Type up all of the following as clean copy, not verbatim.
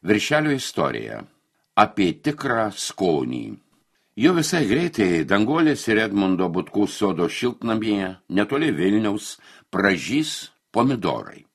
Viršelio istorija apie tikrą skonį. Jau visai greitai Danguolės ir Edmundo Butkų sodo šiltnamyje, netoli Vilniaus, pražys pomidorai.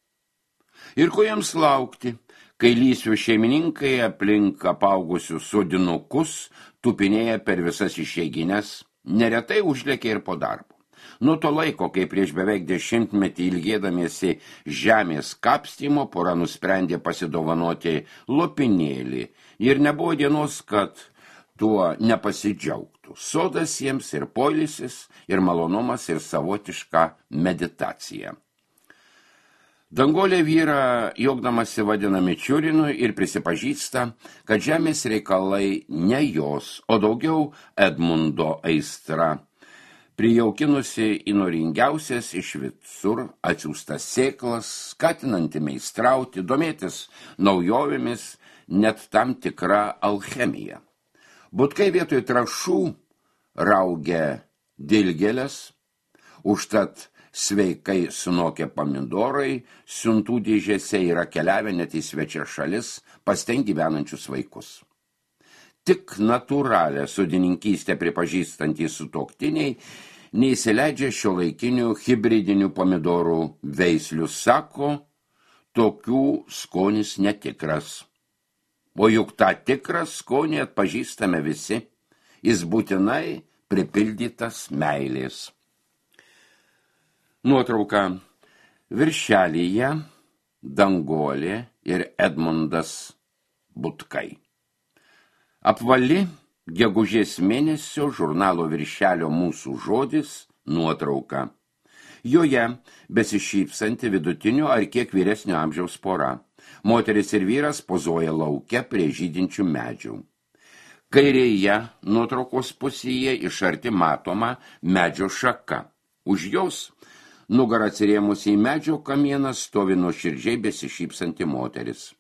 Ir ko jiems laukti, kai lysvių šeimininkai aplink apaugusius sodinukus tupinėja per visas išeigines, neretai užlėkia ir po darbo. Nuo to laiko, kai prieš beveik 10 metį ilgėdamiesi žemės kapstymo, pora nusprendė pasidovanoti lopinėlį ir nebuvo dienos, kad tuo nepasidžiaugtų. Sodas jiems ir poilsis, ir malonumas, ir savotiška meditacija. Danguolė vyrą juokdamasi vadina Mičiurinu ir prisipažįsta, kad žemės reikalai ne jos, o daugiau Edmundo aistra. Prijaukinusi įnoringiausias iš visur atsiųstas sėklas, skatinanti meistrauti, domėtis naujovėmis, net tam tikra alchemija. Butkai vietoj trąšų raugia dilgėles, užtat sveikai sunokę pomidorai siuntų dėžėse yra keliavę net į svečias šalis pas ten gyvenančius vaikus. Tik natūralią sodininkystę pripažįstantys sutuoktiniai neįsileidžia šiuolaikinių hibridinių pomidorų veislių, sako, tokių skonis netikras. O juk tą tikrą skonį atpažįstame visi, jis būtinai pripildytas meilės. Nuotrauka. Viršelyje Danguolė ir Edmundas Butkai. Apvali gegužės mėnesio žurnalo Viršelio Mūsų žodis nuotrauka. Joje besišypsanti vidutinio ar kiek vyresnio amžiaus pora. Moteris ir vyras pozuoja lauke prie žydinčių medžių. Kairėje nuotraukos pusėje iš arti matoma medžio šaka. Už jos, nugarą atsirėmusi į medžio kamieną, stovi nuoširdžiai besišypsanti moteris.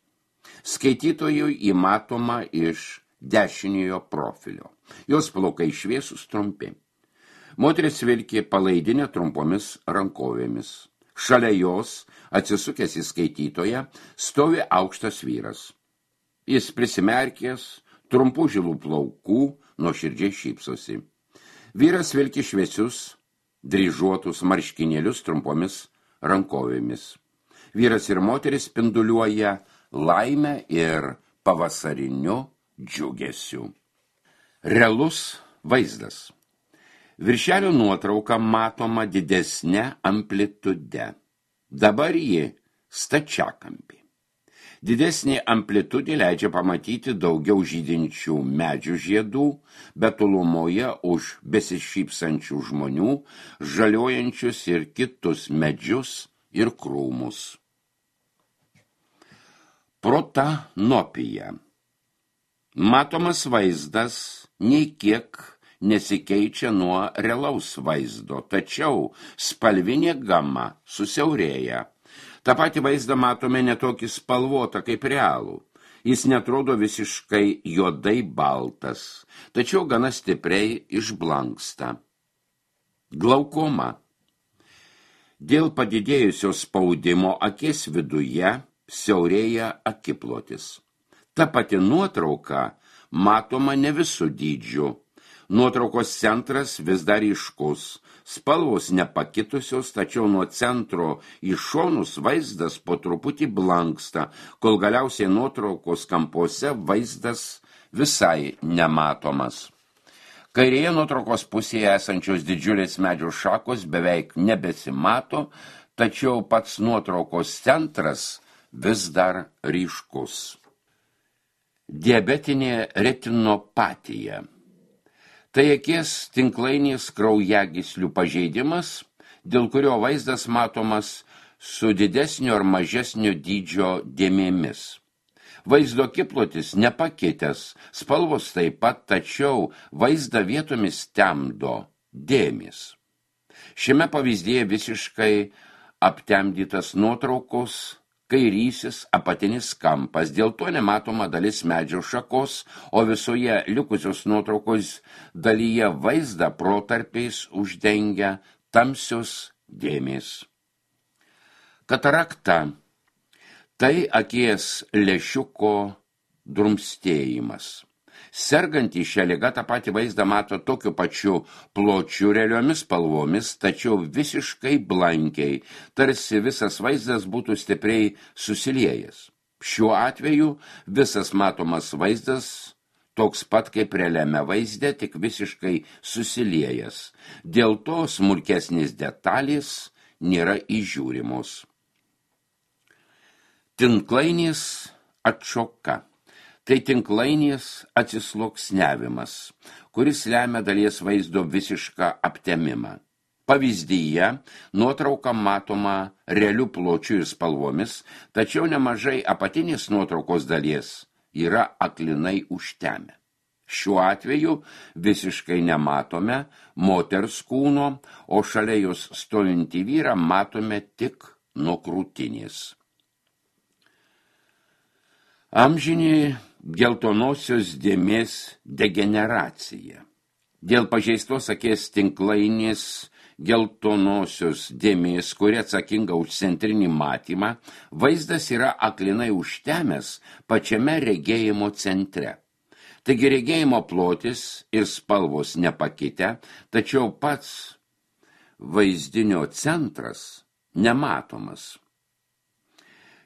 Skaitytojui įmatoma iš dešiniojo profilio. Jos plaukai šviesūs trumpi. Moteris vilki palaidinę trumpomis rankovėmis. Šalia jos, atsisukęs į skaitytoją, stovi aukštas vyras. Jis prisimerkęs, trumpų žilų plaukų, nuoširdžiai šypsosi. Vyras vilki šviesius, dryžuotus marškinėlius trumpomis rankovėmis. Vyras ir moteris spinduliuoja laimę ir pavasariniu džiugesiu. Realus vaizdas. Viršelio nuotrauka matoma didesnė amplitude. Dabar ji stačiakampė. Didesnė amplitudė leidžia pamatyti daugiau žydinčių medžių žiedų, bet tolumoje už besišypsančių žmonių, žaliojančius ir kitus medžius ir krūmus. Protanopija. Matomas vaizdas nei kiek nesikeičia nuo realaus vaizdo, tačiau spalvinė gama susiaurėja. Ta pati vaizdą matome netokį spalvotą kaip realų. Jis netrodo visiškai juodai baltas, tačiau gana stipriai išblanksta. Glaukoma. Dėl padidėjusio spaudimo akies viduje siaurėja akiplotis. Ta pati nuotrauka matoma ne visų dydžių. Nuotraukos centras vis dar ryškus. Spalvos nepakitusios, tačiau nuo centro į šonus vaizdas po truputį blanksta, kol galiausiai nuotraukos kampuose vaizdas visai nematomas. Kairėje nuotraukos pusėje esančios didžiulės medžių šakos beveik nebesimato, tačiau pats nuotraukos centras vis dar ryškus. Diabetinė retinopatija. Tai akies tinklainės kraujagyslių pažeidimas, dėl kurio vaizdas matomas su didesnio ar mažesnio dydžio dėmėmis. Vaizdo akiplotis nepakitęs, spalvos taip pat, tačiau vaizdą vietomis temdo dėmės. Šiame pavyzdyje visiškai aptemdytas nuotraukos kairysis apatinis kampas, dėl to nematoma dalis medžio šakos, o visoje likusios nuotraukos dalyje vaizdą protarpiais uždengia tamsios dėmės. Katarakta – tai akies lęšiuko drumstėjimas. Sergantį šią ligą tą patį vaizdą mato tokiu pačiu pločiu realiomis spalvomis, tačiau visiškai blankiai, tarsi visas vaizdas būtų stipriai susiliejęs. Šiuo atveju visas matomas vaizdas toks pat kaip realiame vaizde, tik visiškai susiliejęs. Dėl to smulkesnės detalės nėra įžiūrimos. Tinklainės atšoka. Tai tinklainės atsisluoksniavimas, kuris lemia dalies vaizdo visišką aptemimą. Pavyzdyje nuotrauka matoma realių pločių ir spalvomis, tačiau nemažai apatinės nuotraukos dalies yra aklinai užtemę. Šiuo atveju visiškai nematome moters kūno, o šalia jos stovintį vyrą matome tik nuo krūtinės. Amžinė geltonosios dėmės degeneracija. Dėl pažeistos akies tinklainės geltonosios dėmės, kuri atsakinga už centrinį matymą, vaizdas yra aklinai užtemęs pačiame regėjimo centre. Taigi regėjimo plotis ir spalvos nepakitę, tačiau pats vaizdinio centras nematomas.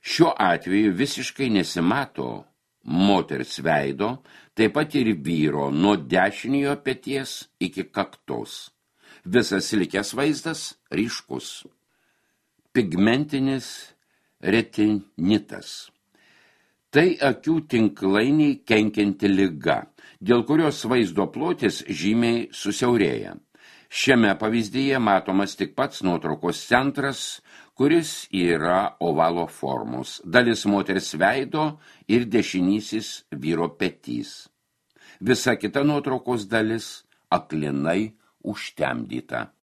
Šiuo atveju visiškai nesimato moters veido, taip pat ir vyro nuo dešiniojo peties iki kaktos. Visas likęs vaizdas ryškus. Pigmentinis retinitas. Tai akių tinklainiai kenkianti liga, dėl kurios vaizdo plotis žymiai susiaurėja. Šiame pavyzdyje matomas tik pats nuotraukos centras, kuris yra ovalo formos, dalis moters veido ir dešinysis vyro petys. Visa kita nuotraukos dalis aklinai užtemdyta.